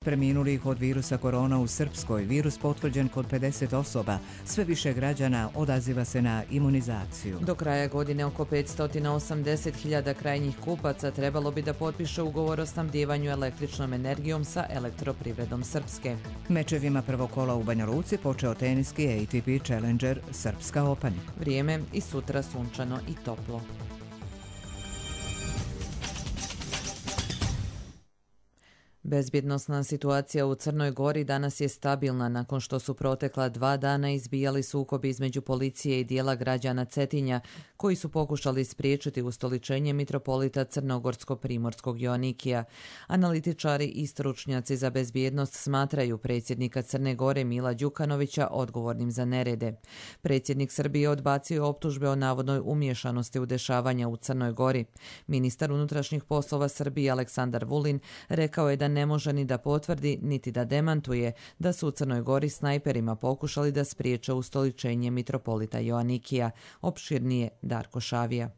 Preminulih od virusa korona u Srpskoj, virus potvrđen kod 50 osoba, sve više građana odaziva se na imunizaciju. Do kraja godine oko 580.000 krajnjih kupaca trebalo bi da potpiše ugovor o snabdijevanju električnom energijom sa Elektroprivredom Srpske. Mečevima prvog kola u Banja Luci počeo teniski ATP Challenger Srpska Open. Vrijeme i sutra sunčano i toplo. Bezbjednosna situacija u Crnoj Gori danas je stabilna nakon što su protekla 2 dana izbijali sukobi između policije i dijela građana Cetinja koji su pokušali spriječiti ustoličenje mitropolita crnogorsko-primorskog Joanikija. Analitičari i stručnjaci za bezbjednost smatraju predsjednika Crne Gore Mila Đukanovića odgovornim za nerede. Predsjednik Srbije odbacio optužbe o navodnoj umiješanosti u dešavanja u Crnoj Gori. Ministar unutrašnjih poslova Srbije Aleksandar Vulin rekao je da ne može ni da potvrdi, niti da demantuje da su u Crnoj Gori snajperima pokušali da spriječe ustoličenje mitropolita Joanikija. Opširnije Darko Šavija.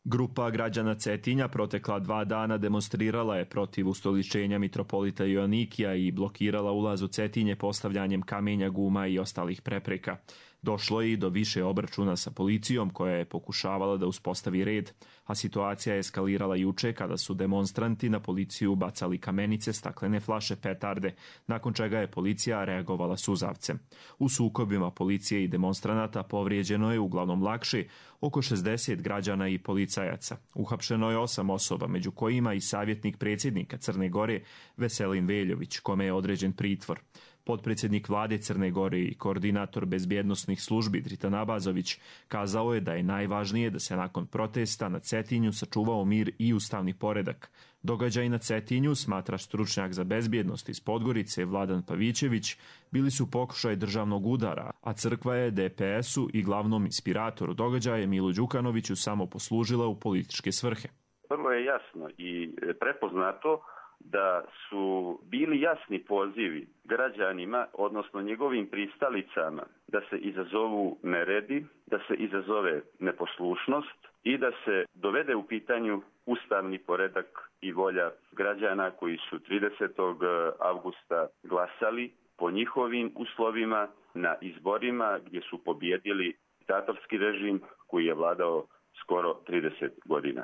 Grupa građana Cetinja protekla 2 dana demonstrirala je protiv ustoličenja mitropolita Joanikija i blokirala ulaz u Cetinje postavljanjem kamenja, guma i ostalih prepreka. Došlo je i do više obračuna sa policijom koja je pokušavala da uspostavi red, a situacija je eskalirala juče kada su demonstranti na policiju bacali kamenice, staklene flaše, petarde, nakon čega je policija reagovala suzavcem. U sukobima policije i demonstranata povrijeđeno je uglavnom lakše oko 60 građana i policajaca. Uhapšeno je 8 osoba, među kojima i savjetnik predsjednika Crne Gore Veselin Veljović, kome je određen pritvor. Potpredsjednik vlade Crne Gore i koordinator bezbjednosnih službi Dritan Abazović kazao je da je najvažnije da se nakon protesta na Cetinju sačuvao mir i ustavni poredak. Događaj na Cetinju, smatra stručnjak za bezbjednost iz Podgorice Vladan Pavićević, bili su pokušaj državnog udara, a crkva je DPS-u i glavnom inspiratoru događaja Milu Đukanoviću samo poslužila u političke svrhe. Vrlo je jasno i prepoznato da su bili jasni pozivi građanima, odnosno njegovim pristalicama, da se izazovu neredi, da se izazove neposlušnost i da se dovede u pitanju ustavni poredak i volja građana koji su 30. avgusta glasali po njihovim uslovima na izborima gdje su pobjedili diktatorski režim koji je vladao skoro 30 godina.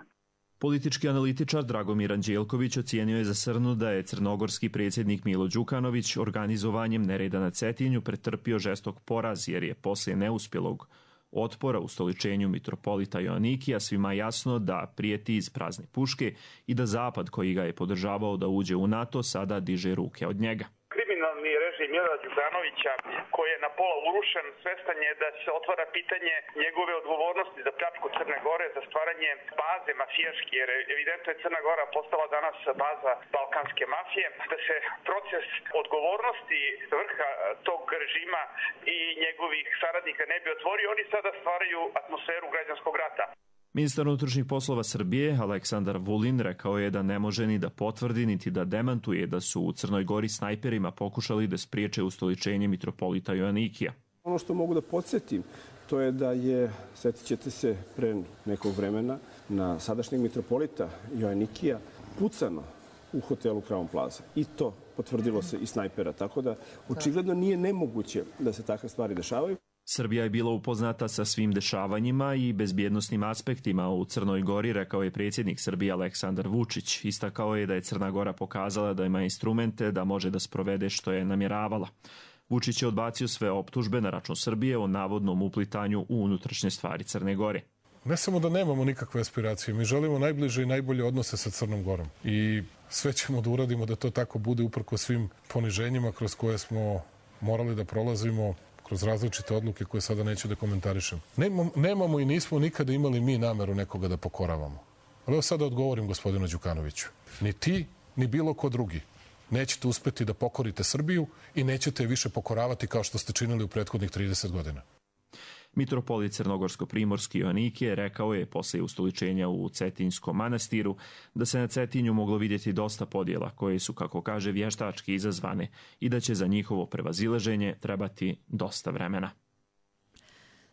Politički analitičar Dragomir Anđelković ocijenio je za Srnu da je crnogorski predsjednik Milo Đukanović organizovanjem nereda na Cetinju pretrpio žestok poraz jer je poslije neuspjelog otpora ustoličenju mitropolita Joanikija svima jasno da prijeti iz prazne puške i da Zapad koji ga je podržavao da uđe u NATO sada diže ruke od njega. Kriminalni režim Mila Đukanovića koji je na pola urušen, svestan je da se otvara pitanje njegove odgovornosti za pljačku Crne Gore, za stvaranje baze mafijaške, jer evidentno je Crna Gora postala danas baza balkanske mafije, da se proces odgovornosti vrha tog režima i njegovih saradnika ne bi otvorio, oni sada stvaraju atmosferu građanskog rata. Ministar unutrašnjih poslova Srbije Aleksandar Vulin rekao je da ne može ni da potvrdi niti da demantuje da su u Crnoj Gori snajperima pokušali da spriječe ustoličenje mitropolita Joanikija. Ono što mogu da podsjetim, to je da je, sjetit ćete se, pre nekog vremena na sadašnjeg mitropolita Joanikija pucano u hotelu Crown Plaza. I to potvrdilo se i snajpera, tako da očigledno nije nemoguće da se takve stvari dešavaju. Srbija je bila upoznata sa svim dešavanjima i bezbjednosnim aspektima u Crnoj Gori, rekao je predsjednik Srbije Aleksandar Vučić. Istakao je da je Crna Gora pokazala da ima instrumente da može da sprovede što je namjeravala. Vučić je odbacio sve optužbe na račun Srbije o navodnom uplitanju u unutrašnje stvari Crne Gore. Ne samo da nemamo nikakve aspiracije, mi želimo najbliže i najbolje odnose sa Crnom Gorom. I sve ćemo da uradimo da to tako bude uprkos svim poniženjima kroz koje smo morali da prolazimo, kroz različite odluke koje sada neću da komentarišem. Nemamo i nismo nikada imali mi nameru nekoga da pokoravamo. Ali evo sada odgovorim gospodinu Đukanoviću. Ni ti, ni bilo ko drugi nećete uspeti da pokorite Srbiju i nećete je više pokoravati kao što ste činili u prethodnih 30 godina. Mitropolit Crnogorsko-Primorski Joanikije rekao je poslije ustoličenja u Cetinjskom manastiru da se na Cetinju moglo vidjeti dosta podjela koje su, kako kaže, vještački izazvane i da će za njihovo prevazilaženje trebati dosta vremena.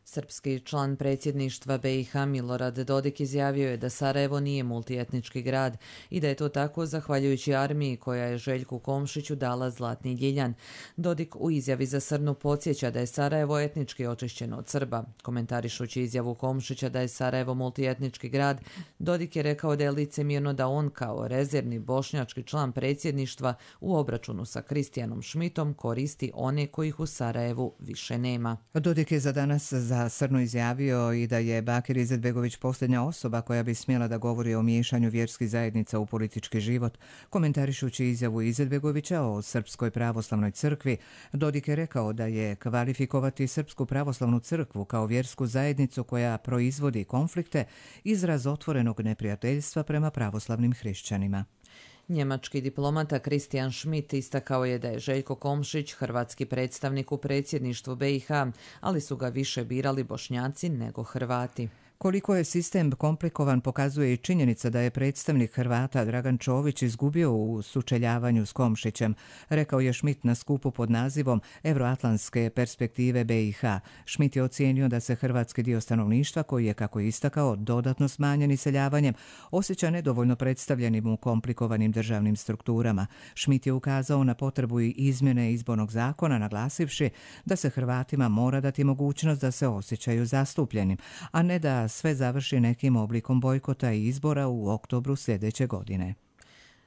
Srpski član predsjedništva BiH Milorad Dodik izjavio je da Sarajevo nije multietnički grad i da je to tako zahvaljujući armiji koja je Željku Komšiću dala zlatni ljiljan. Dodik u izjavi za Srnu podsjeća da je Sarajevo etnički očišćeno od Srba. Komentarišući izjavu Komšića da je Sarajevo multietnički grad, Dodik je rekao da je licemjerno da on kao rezervni bošnjački član predsjedništva u obračunu sa Kristijanom Šmitom koristi one kojih u Sarajevu više nema. Dodik je za danas za Srnu izjavio i da je Bakir Izetbegović posljednja osoba koja bi smjela da govori o miješanju vjerskih zajednica u politički život. Komentarišući izjavu Izetbegovića o Srpskoj pravoslavnoj crkvi, Dodik je rekao da je kvalifikovati Srpsku pravoslavnu crkvu kao vjersku zajednicu koja proizvodi konflikte izraz otvorenog neprijateljstva prema pravoslavnim hrišćanima. Njemački diplomata Kristijan Šmit istakao je da je Željko Komšić hrvatski predstavnik u predsjedništvu BiH, ali su ga više birali Bošnjaci nego Hrvati. Koliko je sistem komplikovan pokazuje i činjenica da je predstavnik Hrvata Dragan Čović izgubio u sučeljavanju s Komšićem, rekao je Šmit na skupu pod nazivom Euroatlantske perspektive BiH. Šmit je ocijenio da se hrvatski dio stanovništva, koji je, kako je istakao, dodatno smanjen iseljavanjem, osjeća nedovoljno predstavljenim u komplikovanim državnim strukturama. Šmit je ukazao na potrebu i izmjene izbornog zakona, naglasivši da se Hrvatima mora dati mogućnost da se osjećaju zastupljenim, a ne da sve završi nekim oblikom bojkota i izbora u oktobru sljedeće godine.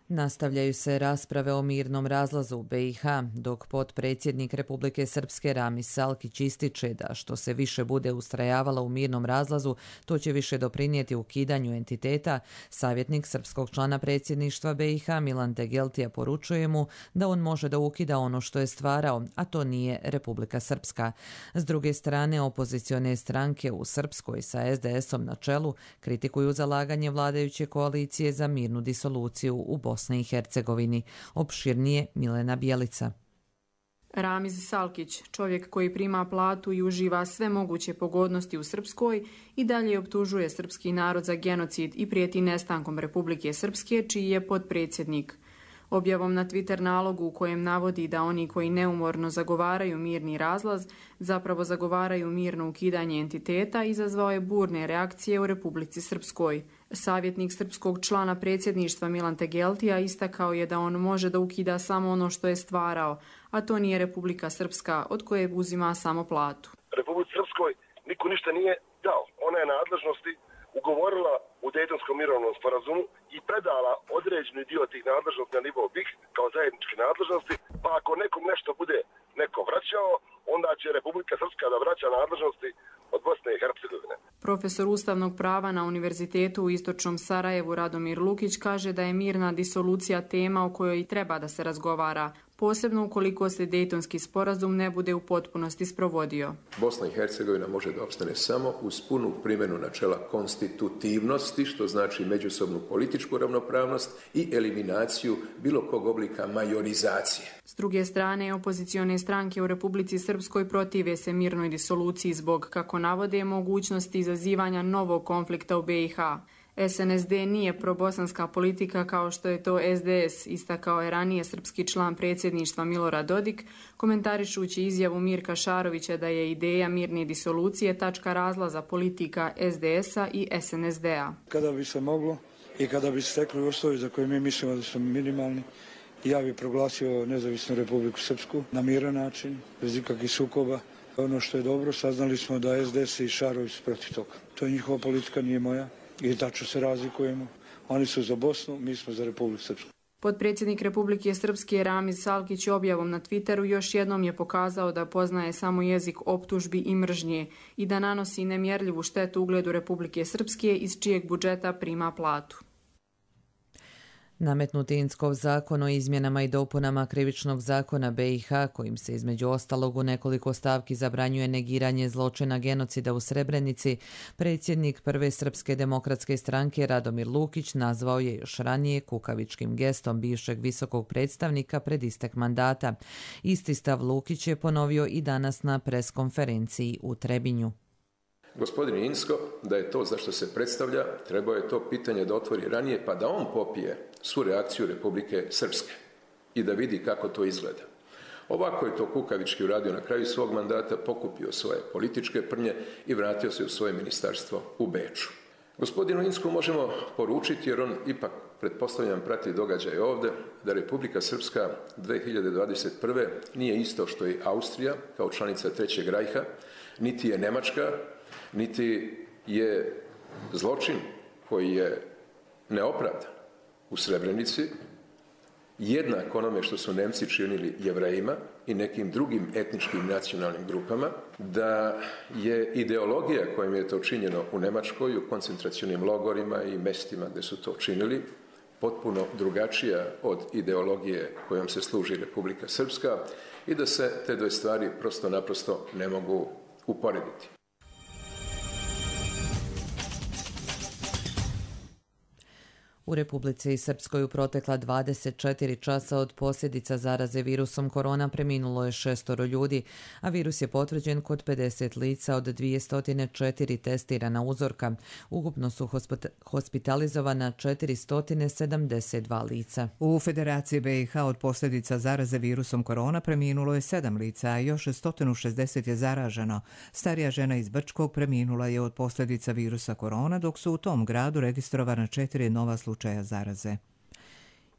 Nastavljaju se rasprave o mirnom razlazu u BiH, dok potpredsjednik Republike Srpske Ramis Salkić ističe da što se više bude ustrajavalo u mirnom razlazu, to će više doprinijeti ukidanju entiteta. Savjetnik srpskog člana predsjedništva BiH Milan Tegeltija poručuje mu da on može da ukida ono što je stvarao, a to nije Republika Srpska. S druge strane, opozicione stranke u Srpskoj sa SDS-om na čelu kritikuju zalaganje vladajuće koalicije za mirnu disoluciju u Bosni i Hercegovini. Opširnije Milena Bjelica. Ramiz Salkić, čovjek koji prima platu i uživa sve moguće pogodnosti u Srpskoj, i dalje optužuje srpski narod za genocid i prijeti nestankom Republike Srpske, čiji je potpredsjednik. Objavom na Twitter nalogu u kojem navodi da oni koji neumorno zagovaraju mirni razlaz zapravo zagovaraju mirno ukidanje entiteta, izazvao je burne reakcije u Republici Srpskoj. Savjetnik srpskog člana predsjedništva Milan Tegeltija istakao je da on može da ukida samo ono što je stvarao, a to nije Republika Srpska, od koje uzima samo platu. Republici Srpskoj niko ništa nije dao. Ona je nadležnosti ugovorila u Dejtonskom mirovnom sporazumu i predala određeni dio tih nadležnosti na nivo BiH kao zajedničke nadležnosti, pa ako nekom nešto bude neko vraćao, onda će Republika Srpska da vraća nadležnosti od Bosne i Hercegovine. Profesor ustavnog prava na Univerzitetu u Istočnom Sarajevu Radomir Lukić kaže da je mirna disolucija tema o kojoj treba da se razgovara, posebno ukoliko se Dejtonski sporazum ne bude u potpunosti sprovodio. Bosna i Hercegovina može da opstane samo uz punu primjenu načela konstitutivnosti, što znači međusobnu političku ravnopravnost i eliminaciju bilo kog oblika majorizacije. S druge strane, opozicione stranke u Republici Srpskoj protive se mirnoj disoluciji zbog, kako navode, mogućnosti izazivanja novog konflikta u BiH. SNSD nije probosanska politika kao što je to SDS, istakao je ranije srpski član predsjedništva Milorad Dodik, komentarišući izjavu Mirka Šarovića da je ideja mirne disolucije tačka razlaza politika SDS-a i SNSD-a. Kada bi se moglo i kada bi se stekli uslovi za koje mi mislimo da su minimalni, ja bih proglasio nezavisnu Republiku Srpsku na miran način, bez ikakvih sukoba. Ono što je dobro, saznali smo da SDS i Šarović su protiv toga. To je njihova politika, nije moja. I tačno se razlikujemo. Oni su za Bosnu, mi smo za Republiku Srpsku. Potpredsjednik Republike Srpske Ramiz Salkić objavom na Twitteru još jednom je pokazao da poznaje samo jezik optužbi i mržnje i da nanosi nemjerljivu štetu ugledu Republike Srpske iz čijeg budžeta prima platu. Nametnuti Inckov zakon o izmjenama i dopunama krivičnog zakona BiH, kojim se između ostalog u nekoliko stavki zabranjuje negiranje zločina genocida u Srebrenici, predsjednik Prve srpske demokratske stranke Radomir Lukić nazvao je još ranije kukavičkim gestom bivšeg visokog predstavnika pred istek mandata. Isti stav Lukić je ponovio i danas na preskonferenciji u Trebinju. Gospodin Incko, da je to za što se predstavlja, trebao je to pitanje da otvori ranije, pa da on popije svu reakciju Republike Srpske i da vidi kako to izgleda. Ovako je to kukavički uradio na kraju svog mandata, pokupio svoje političke prnje i vratio se u svoje ministarstvo u Beču. Gospodinu Insku možemo poručiti, jer on ipak, pretpostavljam, prati događaje ovdje, da Republika Srpska 2021. nije isto što i Austrija kao članica Trećeg rajha, niti je Nemačka, niti je zločin koji je neopravdan u Srebrenici jednak onome što su Nemci činili Jevrejima i nekim drugim etničkim nacionalnim grupama, da je ideologija kojom je to činjeno u Njemačkoj, u koncentracionim logorima i mestima gdje su to činili, potpuno drugačija od ideologije kojom se služi Republika Srpska i da se te dve stvari prosto naprosto ne mogu uporediti. U Republici Srpskoj u protekla 24 časa od posljedica zaraze virusom korona preminulo je 6 ljudi, a virus je potvrđen kod 50 lica od 204 testirana uzorka. Ukupno su hospitalizovana 472 lica. U Federaciji BiH od posljedica zaraze virusom korona preminulo je 7 lica, a još 160 je zaraženo. Starija žena iz Brčkog preminula je od posljedica virusa korona, dok su u tom gradu registrovana 4 nova slučaja zaraze.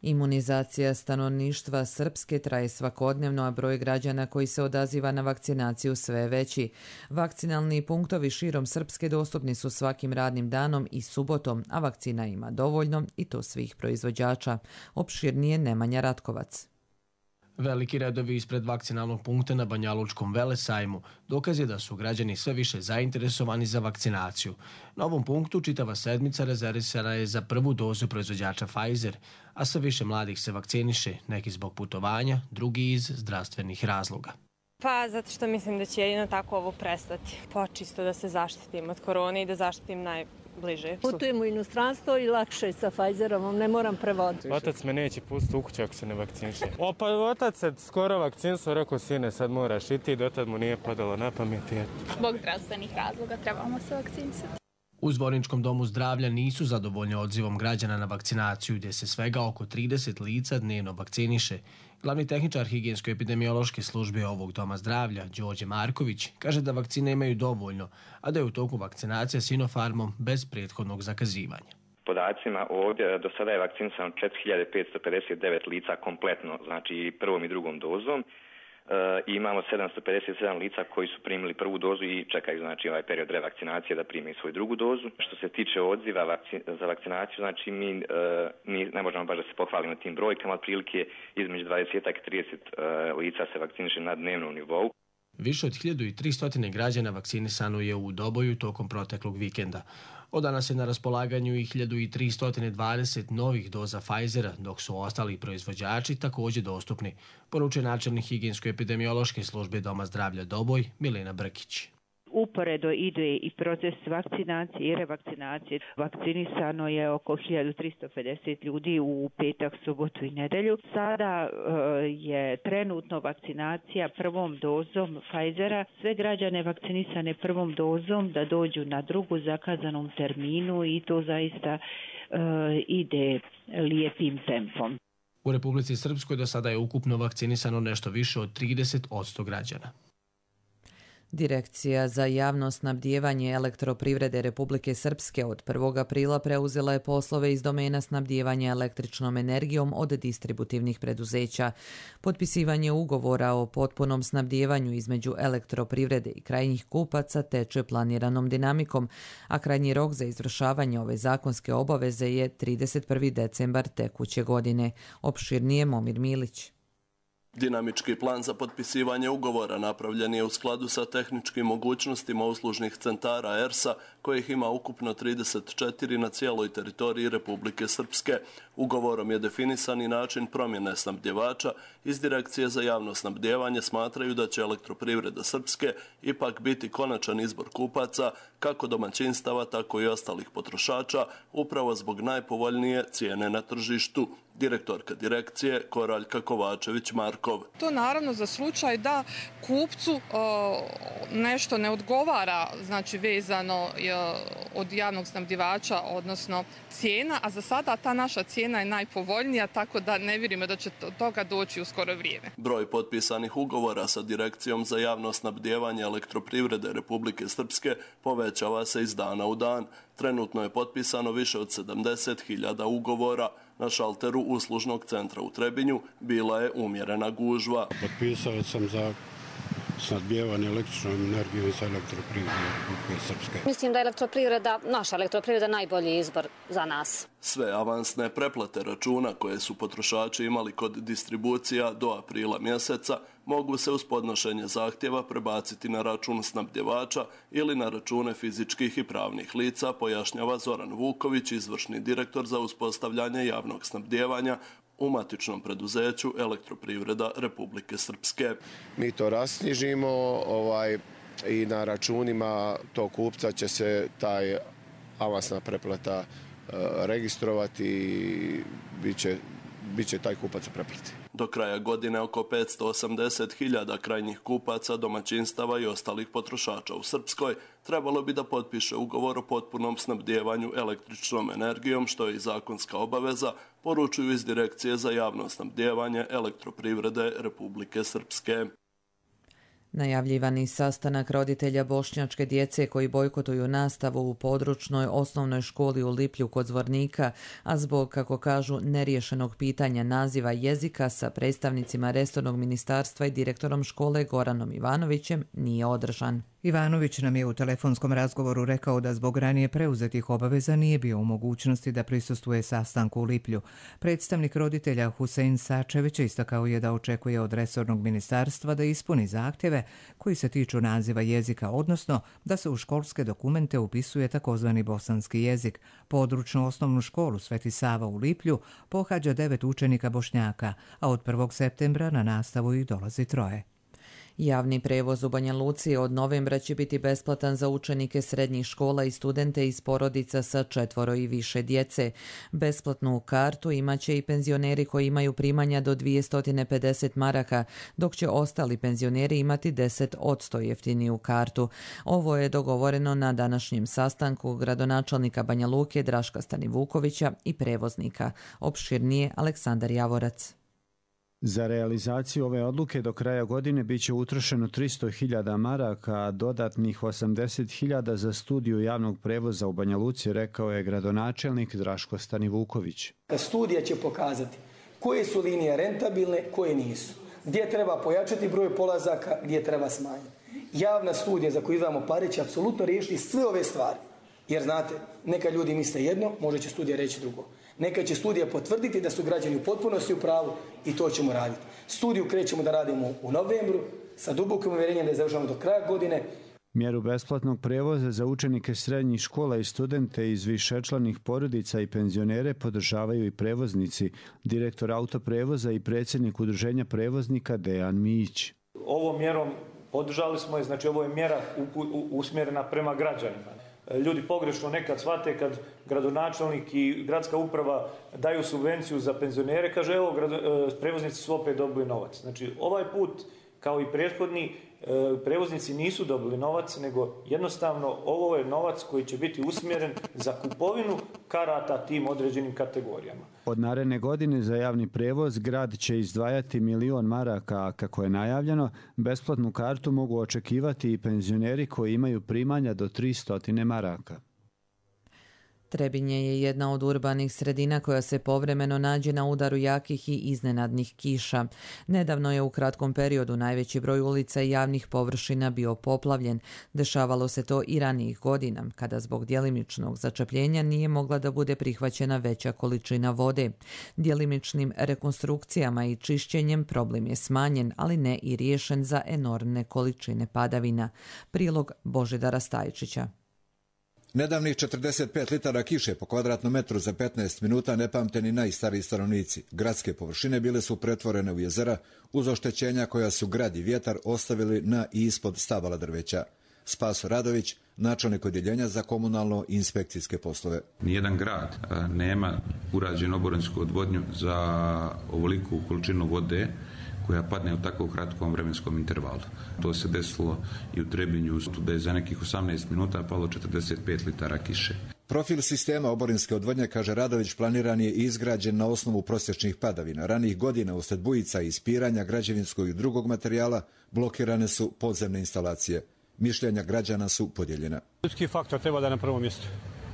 Imunizacija stanovništva Srpske traje svakodnevno, a broj građana koji se odaziva na vakcinaciju sve je veći. Vakcinalni punktovi širom Srpske dostupni su svakim radnim danom i subotom, a vakcina ima dovoljno i to svih proizvođača. Opširnije Nemanja Ratkovac. Veliki redovi ispred vakcinalnog punkta na Banjalučkom Velesajmu dokaz je da su građani sve više zainteresovani za vakcinaciju. Na ovom punktu čitava sedmica rezervisana je za prvu dozu proizvođača Pfizer, a sve više mladih se vakciniše, neki zbog putovanja, drugi iz zdravstvenih razloga. Pa zato što mislim da će jedino tako ovo prestati. Pa čisto da se zaštitim od korone i da zaštitim najbliže. Putujem u inostranstvo i lakše sa Pfizerom, ne moram prevoditi. Otac me neće pustiti u kuću ako se ne vakciniše. Pa otac se skoro vakcinisao, rekao sine sad moraš i ti, dotad mu nije padalo na pamet. Zbog zdravstvenih razloga trebamo se vakcinisati. U Zvorničkom domu zdravlja nisu zadovoljni odzivom građana na vakcinaciju, gdje se svega oko 30 lica dnevno vakciniše. Glavni tehničar higijensko-epidemiološke službe ovog doma zdravlja, Đorđe Marković, kaže da vakcine imaju dovoljno, a da je u toku vakcinacija Sinopharmom bez prethodnog zakazivanja. Podacima ovdje do sada je vakcinisano 4559 lica kompletno, znači prvom i drugom dozom. I imamo 757 lica koji su primili prvu dozu i čekaju znači ovaj period revakcinacije da prime svoju drugu dozu. Što se tiče odziva za vakcinaciju, znači mi ne možemo baš da se pohvalimo tim brojkama, otprilike između 20 i 30 lica se vakciniše na dnevnom nivou. Više od 1300 građana vakcinisano je u Doboju tokom proteklog vikenda. Od danas je na raspolaganju i 1320 novih doza Pfizera, dok su ostali proizvođači također dostupni, poručuje načelnik higijensko-epidemiološke službe Doma zdravlja Doboj, Milena Brkić. Uporedo ide i proces vakcinacije i revakcinacije. Vakcinisano je oko 1350 ljudi u petak, subotu i nedelju. Sada je trenutno vakcinacija prvom dozom Pfizera. Sve građane vakcinisane prvom dozom da dođu na drugu zakazanom terminu i to zaista ide lijepim tempom. U Republici Srpskoj do sada je ukupno vakcinisano nešto više od 30% građana. Direkcija za javno snabdijevanje elektroprivrede Republike Srpske od 1. aprila preuzela je poslove iz domena snabdijevanja električnom energijom od distributivnih preduzeća. Potpisivanje ugovora o potpunom snabdijevanju između elektroprivrede i krajnjih kupaca teče planiranom dinamikom, a krajnji rok za izvršavanje ove zakonske obaveze je 31. decembar tekuće godine. Opširnije Momir Milić. Dinamički plan za potpisivanje ugovora napravljen je u skladu sa tehničkim mogućnostima uslužnih centara ERS-a, kojih ima ukupno 34 na cijeloj teritoriji Republike Srpske. Ugovorom je definisan i način promjene snabdjevača. Iz Direkcije za javno snabdjevanje smatraju da će Elektroprivreda Srpske ipak biti konačan izbor kupaca, kako domaćinstava, tako i ostalih potrošača, upravo zbog najpovoljnije cijene na tržištu. Direktorka direkcije Koraljka Kovačević-Markov. To naravno za slučaj da kupcu nešto ne odgovara, znači vezano od javnog snabdjevača, odnosno cijena, a za sada ta naša cijena cijena je najpovoljnija, tako da ne vjerujemo da će toga doći u skoro vrijeme. Broj potpisanih ugovora sa Direkcijom za javno snabdijevanje elektroprivrede Republike Srpske povećava se iz dana u dan. Trenutno je potpisano više od 70.000 ugovora. Na šalteru uslužnog centra u Trebinju bila je umjerena gužva. Potpisao sam za snabdijevanje električnom energijom sa elektroprivredom Republike Srpske. Mislim da je naša elektroprivreda najbolji izbor za nas. Sve avansne preplate računa koje su potrošači imali kod distribucija do aprila mjeseca mogu se uz podnošenje zahtjeva prebaciti na račun snabdjevača ili na račune fizičkih i pravnih lica, pojašnjava Zoran Vuković, izvršni direktor za uspostavljanje javnog snabdijevanja u matičnom preduzeću Elektroprivreda Republike Srpske. Mi to rasknjižimo i na računima tog kupca će se taj avansna preplata registrovati i bit će taj kupac u preplati. Do kraja godine oko 580.000 krajnjih kupaca, domaćinstava i ostalih potrošača u Srpskoj trebalo bi da potpiše ugovor o potpunom snabdijevanju električnom energijom, što je i zakonska obaveza, poručuju iz Direkcije za javno snabdijevanje Elektroprivrede Republike Srpske. Najavljivani sastanak roditelja bošnjačke djece koji bojkotuju nastavu u područnoj osnovnoj školi u Liplju kod Zvornika, a zbog, kako kažu, neriješenog pitanja naziva jezika sa predstavnicima resornog ministarstva i direktorom škole Goranom Ivanovićem, nije održan. Ivanović nam je u telefonskom razgovoru rekao da zbog ranije preuzetih obaveza nije bio u mogućnosti da prisustvuje sastanku u Liplju. Predstavnik roditelja Husein Sačević istakao je da očekuje od resornog ministarstva da ispuni zahtjeve koji se tiču naziva jezika, odnosno da se u školske dokumente upisuje takozvani bosanski jezik. Područnu osnovnu školu Sveti Sava u Liplju pohađa 9 učenika Bošnjaka, a od 1. septembra na nastavu ih dolazi 3. Javni prevoz u Banja Luci od novembra će biti besplatan za učenike srednjih škola i studente iz porodica sa 4 i više djece. Besplatnu kartu imaće i penzioneri koji imaju primanja do 250 maraka, dok će ostali penzioneri imati 10% jeftiniju kartu. Ovo je dogovoreno na današnjem sastanku gradonačelnika Banja Luke Draška Stanivukovića i prevoznika. Opširnije Aleksandar Javorac. Za realizaciju ove odluke do kraja godine bit će utrošeno 300.000 maraka, a dodatnih 80.000 za studiju javnog prevoza u Banja Luci, rekao je gradonačelnik Draško Stanivuković. Studija će pokazati koje su linije rentabilne, koje nisu. Gdje treba pojačati broj polazaka, gdje treba smanjiti. Javna studija za koju izdvajamo pare će apsolutno riješiti sve ove stvari. Jer znate, neka ljudi misle jedno, možda će studija reći drugo. Neka će studija potvrditi da su građani u potpunosti u pravu i to ćemo raditi. Studiju krećemo da radimo u novembru sa dubokim uvjerenjem da je završamo do kraja godine. Mjeru besplatnog prevoza za učenike srednjih škola i studente iz višečlanih porodica i penzionere podržavaju i prevoznici, direktor autoprevoza i predsjednik udruženja prevoznika Dejan Mijić. Ovom mjerom podržali smo je, znači ovo je mjera usmjerena prema građanima. Ljudi pogrešno nekad shvate kad gradonačelnik i gradska uprava daju subvenciju za penzionere, kaže evo prevoznici su opet dobili novac. Znači ovaj put kao i prethodni prevoznici nisu dobili novac, nego jednostavno ovo je novac koji će biti usmjeren za kupovinu karata tim određenim kategorijama. Od naredne godine za javni prevoz grad će izdvajati 1.000.000 maraka, a kako je najavljeno, besplatnu kartu mogu očekivati i penzioneri koji imaju primanja do 300 maraka. Trebinje je jedna od urbanih sredina koja se povremeno nađe na udaru jakih i iznenadnih kiša. Nedavno je u kratkom periodu najveći broj ulica i javnih površina bio poplavljen. Dešavalo se to i ranijih godina, kada zbog djelimičnog začepljenja nije mogla da bude prihvaćena veća količina vode. Djelimičnim rekonstrukcijama i čišćenjem problem je smanjen, ali ne i riješen za enormne količine padavina. Prilog Božidara Stajčića. Nedavnih 45 litara kiše po kvadratnom metru za 15 minuta ne pamte ni najstariji stanovnici. Gradske površine bile su pretvorene u jezera uz oštećenja koja su grad i vjetar ostavili na i ispod stabala drveća. Spaso Radović, načelnik odjeljenja za komunalno i inspekcijske poslove. Nijedan grad nema urađenu oborinsku odvodnju za ovoliku količinu vode koja padne u tako kratkom vremenskom intervalu. To se desilo i u Trebinju, da je za nekih 18 minuta palo 45 litara kiše. Profil sistema oborinske odvodnje, kaže Radović, planiran je i izgrađen na osnovu prosječnih padavina. Ranih godina uslijed bujica i ispiranja građevinskog i drugog materijala blokirane su podzemne instalacije. Mišljenja građana su podijeljena. Ljudski faktor treba da je na prvom mjestu.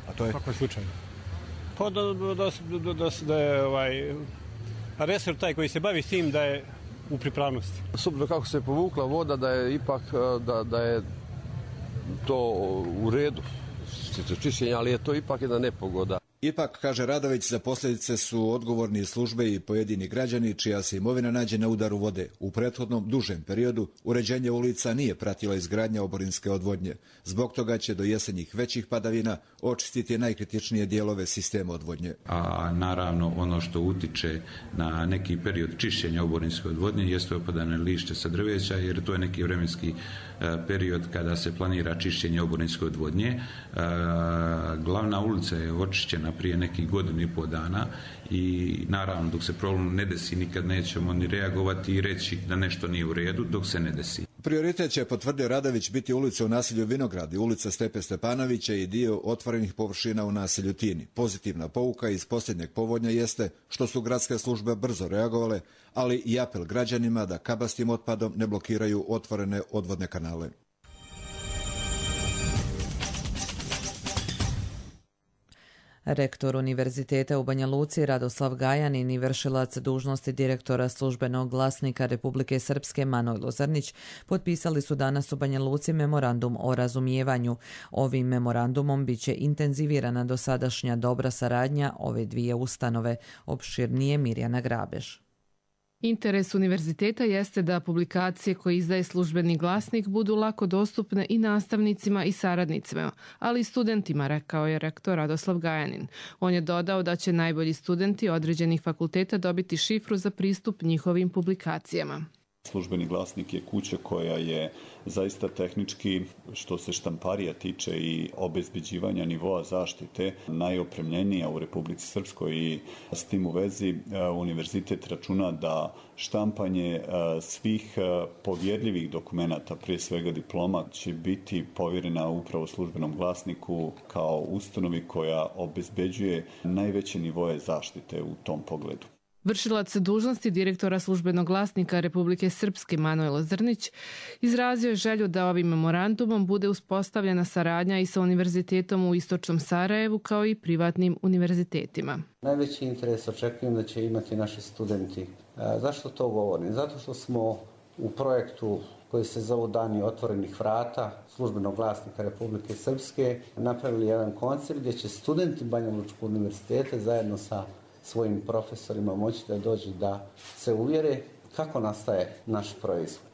A to je? Kako je slučajno? Pa da je resor taj koji se bavi s tim da je u pripravnosti. Osobno kako se povukla voda, da je ipak da je to u redu čišćenja, ali je to ipak jedna nepogoda. Ipak, kaže Radović, za posljedice su odgovorni službe i pojedini građani čija se imovina nađe na udaru vode. U prethodnom dužem periodu uređenje ulica nije pratila izgradnja oborinske odvodnje. Zbog toga će do jesenjih većih padavina očistiti najkritičnije dijelove sistema odvodnje. A naravno ono što utiče na neki period čišćenja oborinske odvodnje jeste opadanje lišća sa drveća, jer to je neki vremenski period kada se planira čišćenje oborinske odvodnje. Glavna ulica je očišćena prije nekih godinu i pol dana i naravno dok se problem ne desi nikad nećemo ni reagovati i reći da nešto nije u redu dok se ne desi. Prioritet će, potvrdio Radović, biti ulica u naselju Vinogradi, ulica Stepe Stepanovića i dio otvorenih površina u naselju Tini. Pozitivna pouka iz posljednjeg povodnja jeste što su gradske službe brzo reagovale, ali i apel građanima da kabastim otpadom ne blokiraju otvorene odvodne kanale. Rektor Univerziteta u Banja Luci Radoslav Gajanin i vršilac dužnosti direktora Službenog glasnika Republike Srpske Manojlo Zrnić potpisali su danas u Banja Luci memorandum o razumijevanju. Ovim memorandumom biće intenzivirana dosadašnja dobra saradnja ove dvije ustanove. Opširnije Mirjana Grabež. Interes univerziteta jeste da publikacije koje izdaje Službeni glasnik budu lako dostupne i nastavnicima i saradnicima, ali i studentima, rekao je rektor Radoslav Gajanin. On je dodao da će najbolji studenti određenih fakulteta dobiti šifru za pristup njihovim publikacijama. Službeni glasnik je kuća koja je zaista tehnički, što se štamparija tiče i obezbeđivanja nivoa zaštite, najopremljenija u Republici Srpskoj i s tim u vezi univerzitet računa da štampanje svih povjerljivih dokumenata, prije svega diploma, će biti povjerena upravo Službenom glasniku kao ustanovi koja obezbeđuje najveće nivoe zaštite u tom pogledu. Vršilac dužnosti direktora Službenog glasnika Republike Srpske Manojlo Zrnić izrazio je želju da ovim memorandumom bude uspostavljena saradnja i sa univerzitetom u Istočnom Sarajevu kao i privatnim univerzitetima. Najveći interes očekujem da će imati naši studenti. Zašto to govorim? Zato što smo u projektu koji se zove Dani otvorenih vrata Službenog glasnika Republike Srpske napravili jedan koncept gdje će studenti Banja Lučkog univerziteta zajedno sa svojim profesorima moći da dođu da se uvjere kako nastaje naš proizvod.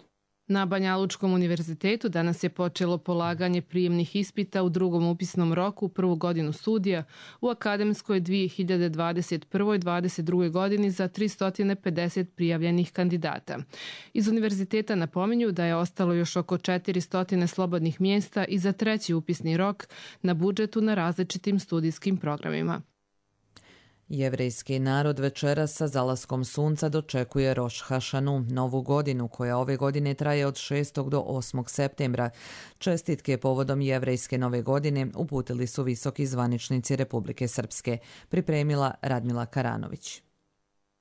Na Banja Lučkom univerzitetu danas je počelo polaganje prijemnih ispita u drugom upisnom roku, prvu godinu studija u akademskoj 2021-2022. godini za 350 prijavljenih kandidata. Iz univerziteta napominju da je ostalo još oko 400 slobodnih mjesta i za treći upisni rok na budžetu na različitim studijskim programima. Jevrejski narod večeras sa zalaskom sunca dočekuje Roš Hašanu, novu godinu koja ove godine traje od 6. do 8. septembra. Čestitke povodom jevrejske nove godine uputili su visoki zvaničnici Republike Srpske, pripremila Radmila Karanović.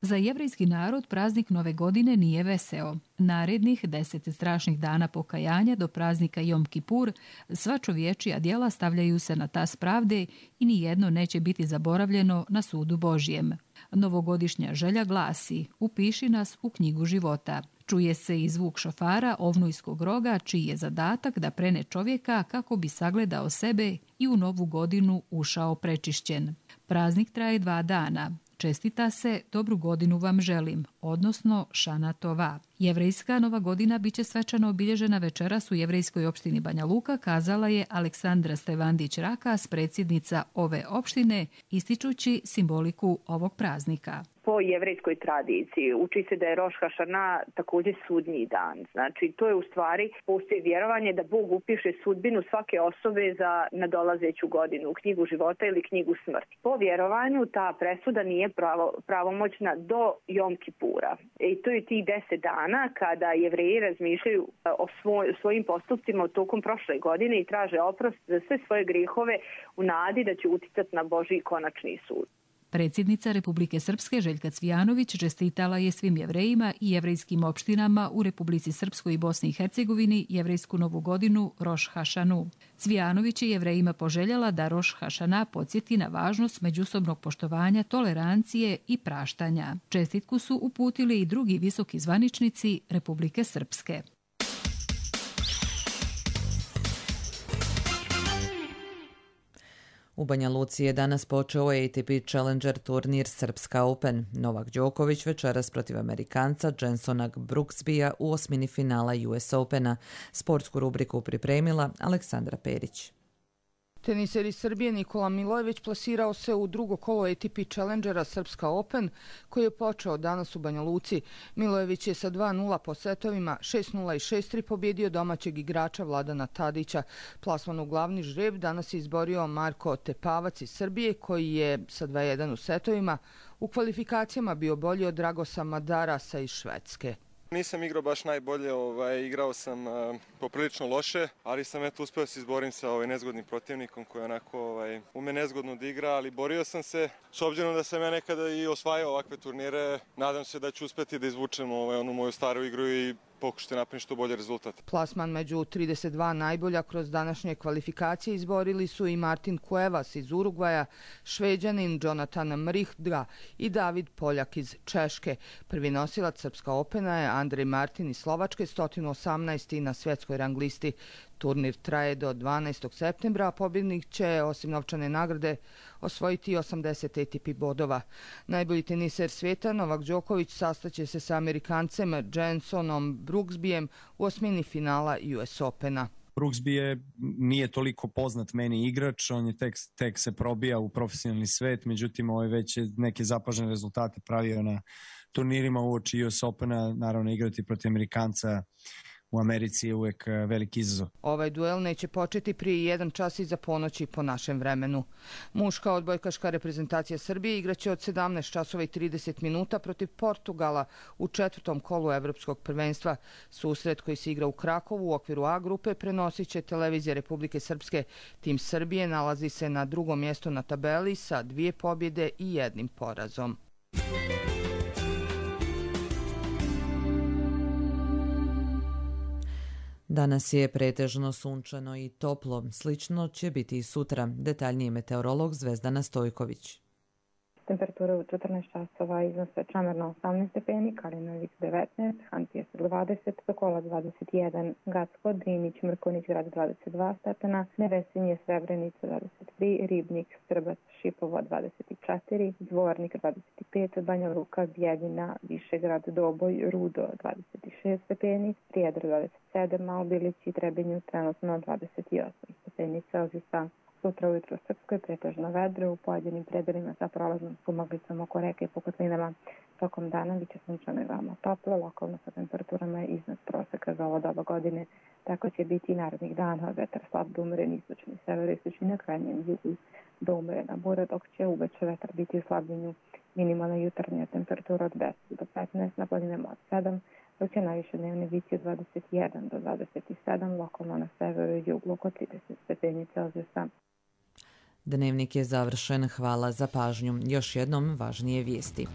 Za jevrejski narod praznik nove godine nije veseo. Narednih 10 strašnih dana pokajanja do praznika Jom Kipur sva čovječija djela stavljaju se na tas pravde i nijedno neće biti zaboravljeno na sudu Božjem. Novogodišnja želja glasi: upiši nas u knjigu života. Čuje se i zvuk šofara ovnujskog roga, čiji je zadatak da prene čovjeka kako bi sagledao sebe i u novu godinu ušao prečišćen. Praznik traje 2 dana. Čestita se, dobru godinu vam želim, odnosno Šana Tova. Jevrejska nova godina biće svečano obilježena večeras u jevrejskoj opštini Banja Luka, kazala je Aleksandra Stevandić-Rakas, predsjednica ove opštine, ističući simboliku ovog praznika. Po jevrejskoj tradiciji uči se da je Roš Hašana također sudnji dan. Znači, to je u stvari postoji vjerovanje da Bog upiše sudbinu svake osobe za nadolazeću godinu u knjigu života ili knjigu smrti. Po vjerovanju ta presuda nije pravomoćna do Jom Kipura. I to je tih 10 dana dana kada Jevreji razmišljaju o svojim postupcima tokom prošle godine i traže oprost za sve svoje grehove u nadi da će uticati na Božji konačni sud. Predsjednica Republike Srpske Željka Cvijanović čestitala je svim Jevrejima i jevrejskim opštinama u Republici Srpskoj i Bosni i Hercegovini jevrejsku novu godinu Roš Hašanu. Cvijanović je Jevrejima poželjela da Roš Hašana podsjeti na važnost međusobnog poštovanja, tolerancije i praštanja. Čestitku su uputili i drugi visoki zvaničnici Republike Srpske. U Banja Luci je danas počeo ATP Challenger turnir Srpska Open. Novak Đoković večeras protiv Amerikanca Jensona Brooksbya u osmini finala US Opena. Sportsku rubriku pripremila Aleksandra Perić. Teniser iz Srbije Nikola Milojević plasirao se u drugo kolo ATP Challengera Srpska Open, koji je počeo danas u Banja Luci. Milojević je sa 2-0 po setovima, 6-0 i 6-3 pobjedio domaćeg igrača Vladana Tadića. Plasman u glavni žreb danas je izborio Marko Tepavac iz Srbije, koji je sa 2-1 u setovima u kvalifikacijama bio bolji od Dragosa Madarasa iz Švedske. Nisam igrao baš najbolje, igrao sam poprilično loše, ali sam uspio se izborim sa nezgodnim protivnikom koji onako ume nezgodno da igra, ali borio sam se. S obzirom da sam ja nekada i osvajao ovakve turnire, nadam se da ću uspjeti da izvučem onu moju staru igru i pokušati napraviti što bolje rezultat. Plasman među 32 najbolja kroz današnje kvalifikacije izborili su i Martin Cuevas iz Urugvaja, Šveđanin Jonathan Mrihdga i David Poljak iz Češke. Prvi nosilac Srpska Opena je Andrej Martin iz Slovačke, 118. na svjetskoj rang listi. Turnir traje do 12. septembra, a pobjednik će, osim novčane nagrade, osvojiti 80 ATP bodova. Najbolji teniser svijeta, Novak Đoković, sastaće se sa Amerikancem Jensonom Brooksbyem u osmini finala US Opena. Brooksby nije toliko poznat meni igrač, on je tek se probija u profesionalni svet, međutim već je neke zapažene rezultate pravio na turnirima uoči US Opena, naravno igrati protiv Amerikanca u Americi je uvijek veliki izazov. Ovaj duel neće početi prije 1 čas iza ponoći po našem vremenu. Muška odbojkaška reprezentacija Srbije igraće od 17 časova i 30 minuta protiv Portugala u 4. kolu Evropskog prvenstva. Susret koji se igra u Krakovu u okviru A grupe prenosit će televizija Republike Srpske. Tim Srbije nalazi se na 2. mjestu na tabeli sa 2 pobjede i 1 porazom. Danas je pretežno sunčano i toplo. Slično će biti i sutra. Detaljniji meteorolog Zvezdana Stojković. Temperatura u 14 časova iznose Čamerna 18 stepeni, Kalinović 19, Hantijas 20, Sokola 21, Gacko, Drinić, Mrkonić grad 22 stepena, Nevesinje, Srebrenica 23, Ribnik, Strbac, Šipova 24, Dvornik 25, Banja Luka, Bijeljina, Višegrad, Doboj, Rudo 26 stepeni, Prijedor 27, Malbilić i Trebinju trenutno 28 stepeni Celzijusa. Sutra ujutro u Srpskoj pretežno vedro, u pojedinim predelima sa prolaznom sumaglicom oko reke i po kotlinama. Tokom dana biće sunčano i veoma toplo, lokalno sa temperaturama iznad proseka za ovo doba godine. Tako će biti i narednih dana, vetar slab do umeren istočni, severo-istočni na krajnjem jugu do umerena bura, dok će uveče vetar biti u slabljenju. Minimalna jutarnja temperatura od 10 do 15, na planinama od 7, dok će najviše dnevne biti od 21 do 27, lokalno na severu i jugu oko 30 stepeni Celzijusa. Dnevnik je završen. Hvala za pažnju. Još jednom važnije vijesti.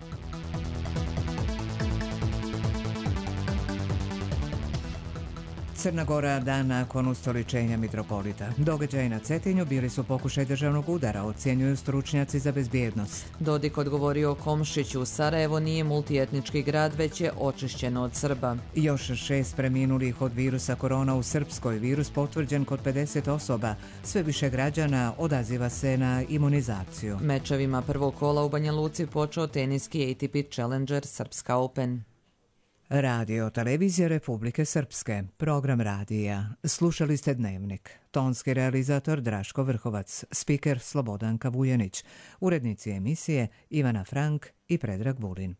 Crna Gora dan nakon ustoličenja mitropolita. Događaji na Cetinju bili su pokušaj državnog udara, ocjenjuju stručnjaci za bezbjednost. Dodik odgovorio o Komšiću. Sarajevo nije multietnički grad, već je očišćeno od Srba. Još 6 preminulih od virusa korona u Srpskoj. Virus potvrđen kod 50 osoba. Sve više građana odaziva se na imunizaciju. Mečevima prvog kola u Banja Luci počeo teniski ATP Challenger Srpska Open. Radio Televizija Republike Srpske, program radija. Slušali ste Dnevnik. Tonski realizator Draško Vrhovac, spiker Slobodanka Vujanić, urednici emisije Ivana Frank i Predrag Vulin.